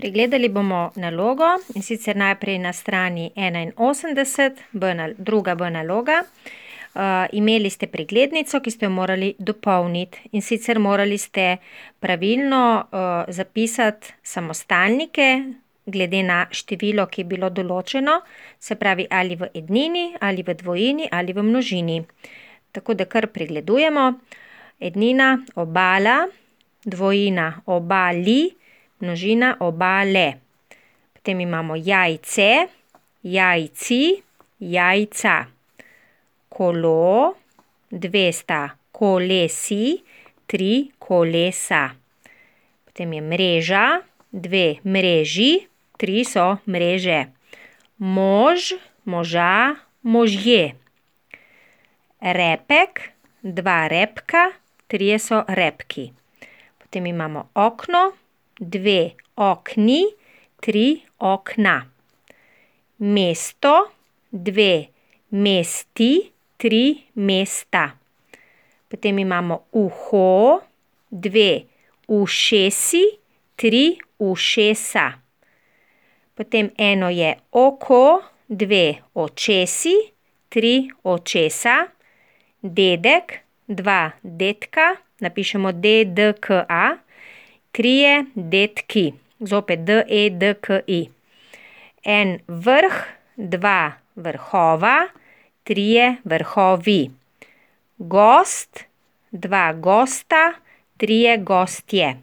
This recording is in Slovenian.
Pregledali bomo nalogo, in sicer najprej na strani 81, druga B naloga. Imeli ste preglednico, ki ste jo morali dopolniti, in sicer morali ste pravilno zapisati samostalnike glede na število, ki je bilo določeno, se pravi ali v ednini, ali v dvojini, ali v množini. Tako da kar pregledujemo. Ednina obala, dvojina obali, množina obale. Potem imamo jajce, jajci, jajca. Kolo, dve sta kolesi, tri kolesa. Potem je mreža, dve mreži, tri so mreže. Mož, moža, možje. Repek, dva repka, trije so repki. Potem imamo okno, dve okni, tri okna. Mesto, dve mesti, tri mesta. Potem imamo uho, dve ušesi, tri ušesa. Potem eno je oko, dve očesi, tri očesa. Dedek, dva dedka, napišemo DDKA, trije dedki, zopet DEDKI. En vrh, dva vrhova, trije vrhovi. Gost, dva gosta, trije gostje.